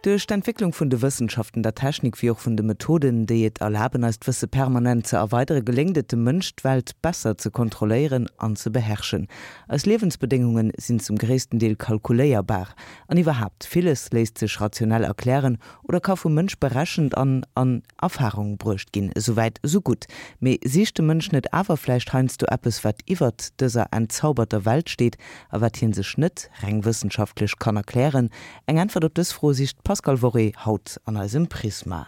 Duerch d'Entwécklung vun de Wëssenschaften, der Technik wéi och vun de Methoden, déi et erlaben eist Wësse permanent ze erweidere geléngt et dem Mënsch d'Welt besser ze kontrolléieren an ze beherrschen. Eis Liewensbedéngunge sinn zum gréissten Deel kalkuléierbar an iwwerhaapt, villes léisst sech rationell erklären oder ka vum Mënsch berechent an an Erfahrung bruecht ginn. Esouwäit esou gutt. Mee sicht de Mënsch net awer vläicht heiansdo eppes, wat iwwert dëser entzauberter Welt steet a wat hien sech net reng wëssenschaftlech kann erklären? Eng Äntwert op dës Fro sicht d'Pascale Worré haut an eisem Prisma.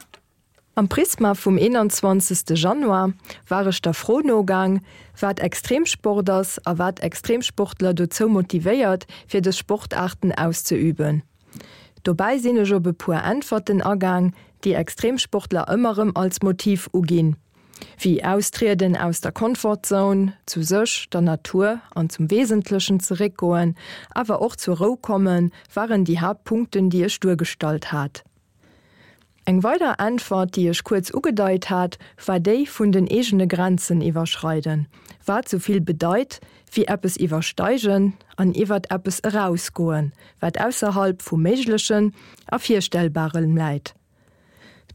Am Prisma vum 21. Januar war ech der Fro nogaang, wat Extremsport ass a wat Extremsportler dozou motivéiert, fir dës Sportaarten auszeüben. Dobäi sinn ech op e puer Äntwerten agaang, déi Extremsportler ëmmer rëm als Motiv uginn, wéi Austrieden aus der Comfort-Zone, zu sech, der Natur an zum Wesentlechen zeréckgoen, awer och zur Rou kommen, waren déi Haaptpunkten, déi ech duergestallt hat. Eng weider Äntwert, déi ech kuerz ugedeit hat, war déi vun den eegene Grenzen iwwerschreiden, wat sou vill bedeit wéi eppes iwwersteigen an iwwert eppes erausgoen, wat ausserhalb vum Méiglechen a Virstellbarem läit.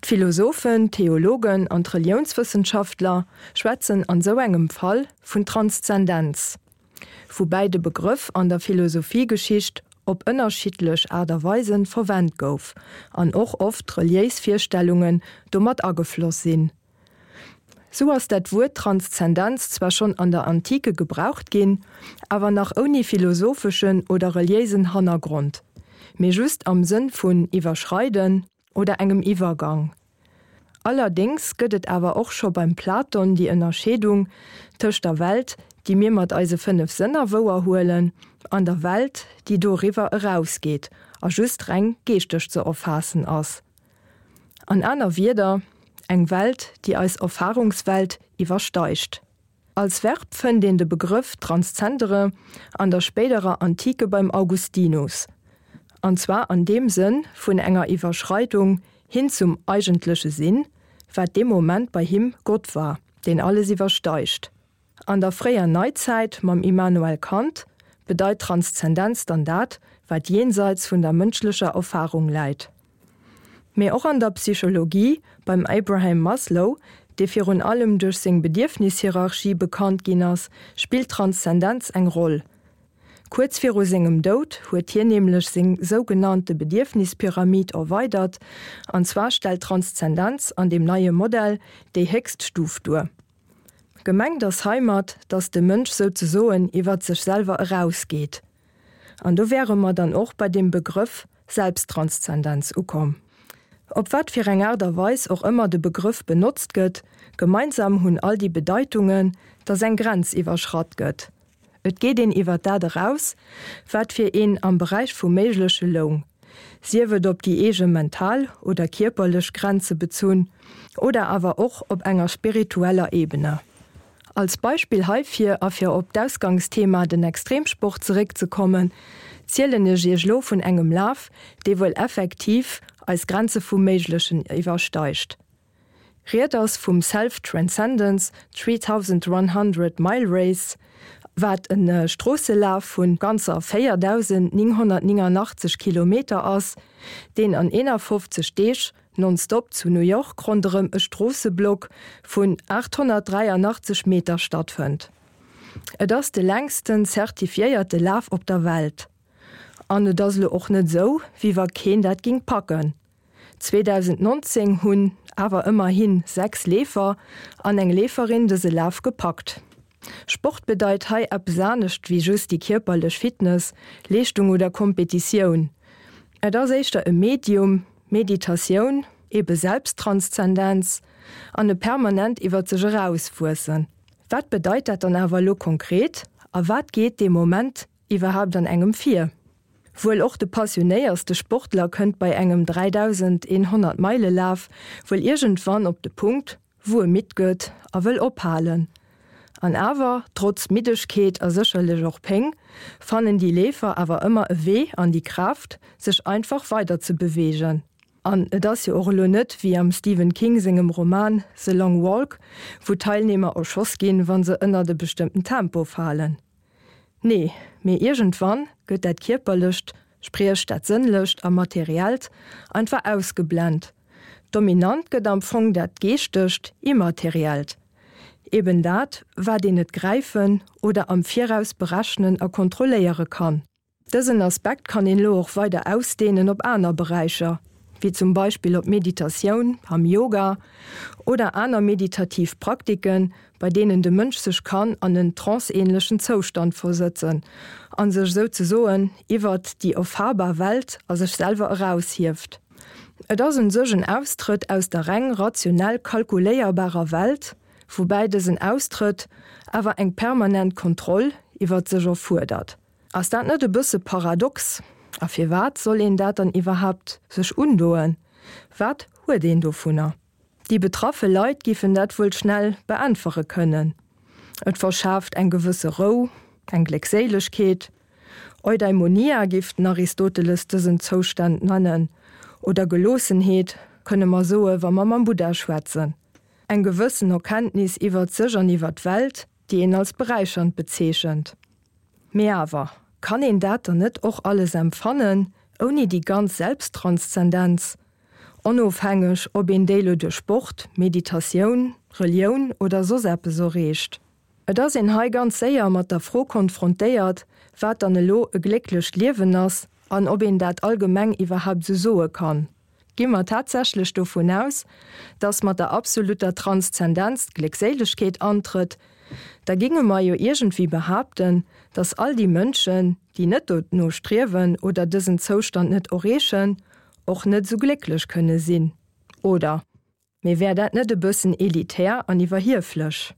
D'Philosophen, d'Theologen an d'Reliounswëssenschaftler schwätzen an sou engem Fall vun Transzendenz. Woubäi de Begrëff an der Philosophiegeschicht op ënnerschiddlech Aart a Weisen verwent gouf an och oft reliéis Virstellungen domat agefloss sinn. Sou ass dat Wuert Transzendenz zwar schonn an der Antike gebraucht ginn, awer nach ouni philosopheschen oder reliéisen Hannergrond, mee just am Sënn vun iwwerschreiden oder engem Iwwergang. Allerdéngs gëtt et awer och scho beim Platon déi Ënnerscheedung tëscht der Welt, déi mir mat eise 5 Sënner wouerhuelen, an der Welt, déi doriwwer erausgeet a just reng geeschteg ze erfaassen ass. An aner Wierder, eng Welt, déi eis Erfarungswelt iwwersteigt. Als Verb fënnt een de Begrëff transzendere an der spéiderer Antike beim Augustinus, an zwar an deem Sënn vun enger Iwwerschreidung hin zum eigentleche Sinn, wat dee Moment bei him Gott war, deen alles iwwersteigt. An der fréier Neizäit mam Immanuel Kant bedeit Transzendenz dann dat, wat jenseits vun der mënschlecher Erfarung läit. Mee och an der Psychologie, beim Abraham Maslow, dee virun allem duerch seng Bedierfnishierarchie bekannt ginn ass, spillt Transzendenz eng Roll. Kuerz viru sengem Doud huet hien nämlech seng sougenannte Bedierfnispyramid erweidert, an zwar stellt Transzendenz an deem neie Modell déi héchst Stuf duer. Gemengt ass heimat, dass de Mënsch souzesoen iwwert sech selwer erausgeet. An do wäre mer dann och bei dem Begrëff Selbsttranszendenz ukomm. Op wat fir eng Aart a Weis och ëmmer de Begrëff benotzt gëtt, gemeinsam hunn all déi Bedeitungen, dass eng Grenz iwwerschratt gëtt. Et geet een iwwer dat eraus, wat fir een am Beräich vum Méigleche loung, sief et op déi eege mental oder kierperlech Grenze bezunn oder awer och op enger spiritueller Ebene. Als Beispill heifir a fir op d'Ausgangsthema, den Extremsport, zeréckzekommen, zielen ech iech lo vun engem Laf, dee wuel effektiv eis Grenze vum Méiglechen iwwersteigt. Ried ass vum Self Transcendence 3100 Mile Race, wat e Stroosselaf vu ganzer 4.989 Kilometer ass, deen an 51 Deeg nonstop zu New York ronderëm e Stroosseblock vun 883 Meter stattfënnt. Et ass de längsten zertifiéierte Laf op der Welt. An et ass elo och net esou, wéi wa keen dat ging packen. 2019 hunn awer ëmmerhi 6 Leefer an eng Leeferin dëse Laf gepackt. Sport bedeit hei eppes anescht wéi just déi kierperlech Fitness, Leeschtung oder Kompetitioun. Et ass éischter e Medium, Meditatioun, ebe Selbsttranszendenz an e permanent iwwer sech erauswuessen. Wat bedeit dat dann awer elo konkret a wat geet dee Moment iwwerhaapt an engem vir? Wuel och de passionéierste Sportler kënnt bei engem 3100 Meile Laf wuel iergendwann op de Punkt, wou e midd gëtt a wëll ophalen. An awer, trotz Middegkeet a sécherlech och Péng, fannen déi Leefer awer ëmmer e Wee an déi Kraaft, sech einfach weider ze beweegen. An et ass jo och elo net wéi am Stephen King sengem Roman The Long Walk, wou d'Teilnehmer erschoss ginn, wa se ënnert e bestëmmten Tempo falen. Nee, mee iergendwann gëtt dat Kierperlecht. Spriech dat Sënnlecht a Materiellt, einfach ausgeblent. Dominant gëtt am Fong dat Geeschtegt, Immateriellt. Eben dat, wat een net gräifen oder am Viraus berechnen a kontrolléiere kann. Dësen Aspekt kann een elo och weider ausdehnen op aner Beräicher, wéi zum Beispill op d'Meditatioun am Yoga oder aner meditativ Praktiken, bei deenen de Mënsch sech kann an en tranceähnlechen Zoustand versëtzen an sech souzesoen iwwert déi erfahrbar Welt a sech selwer eraushieft. Et ass un sech en Austrëtt aus der reng rationell kalkuléierbarer Welt, woubäi dësen Austrëtt awer eng permanent Kontroll iwwert sech erfuerdert. Ass dat net e bësse paradox? A firwat soll een dat dann iwwerhaapt sech undoen? Wat huet een dovunner? Déi betraffe Leit giffen dat wuel schnell beäntwere kënnen, Et verschaaft eng gewësse Rou, eng Gléckséilegkeet. Eudaimonia giff den Aristoteles dësen Zoustand nennen, oder Geloossenheet, kënne mer soe wa mer mam Buddha schwätzen. Eng gewëssen Erkenntnis iwwert sech an iwwert d'Welt, déi een als beräichernd bezeechent. Mee awer, kann een dat dann net och alles empfannen, ouni déi ganz Selbsttranszendenz? Onofhängeg, ob een déi lo duerch Sport, Meditatioun, Relioun oder soss eppes erreecht. Et ass een hei ganz séier mat der Fro konfrontéiert, wat dann elo e glécklecht Liewen ass an ob een dat allgemeng iwwerhaapt sou soe kann. Gi mer tatsächlech dovun aus, dass mat der absolutter Transzendenz d'Gléckséilegkeet antrëtt, da ginge mer jo iergendwéi behaapten, dass all déi Mënschen, déi net dono striewen oder dësen Zoustand net erreechen, och net esou glécklech kënne sinn, oder? Mee wär dat net e bëssen elitär an iwwerhieflech?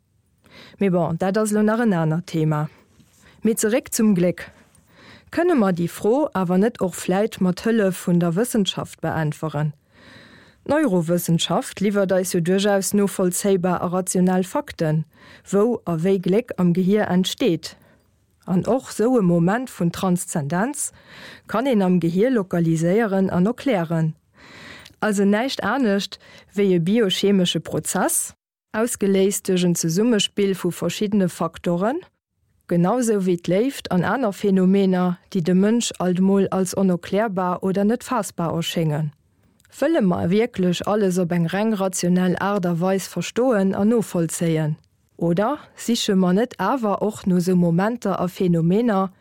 Mee bon, dat ass elo nach en anert Thema. Mee zeréck zum Gléck. Kënne mer déi Fro awer net och vläit mat Hëllef vun der Wëssenschaft beäntweren? D'Neurowëssenschaft liwwert eis jo duerchaus novollzéibar a rationell Fakten, wou a wéi Gléck am Gehier entsteet. An och sou e Moment vun Transzendenz kann een am Gehier lokaliséieren an erklären. Also näischt anescht wéi e biochemesche Prozess, ausgeléist duerch en Zesummespill vu verschiddene Faktoren, genau sou wéi d'Léift an aner Phänomener, déi dem Mënsch alt mol als onerklärbar oder net faassbar erschéngen. Wëlle mer wierklech alles op eng reng rationell Aart a Weis verstoen an novollzéien? Oder siche mer net awer och no sou Momenter a Phänomener,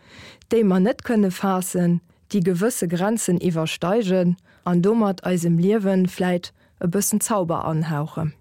déi mer net kënne faassen, déi gewësse Grenzen iwwersteigen an domat eisem Liewen vläit e bëssen Zauber anhauchen?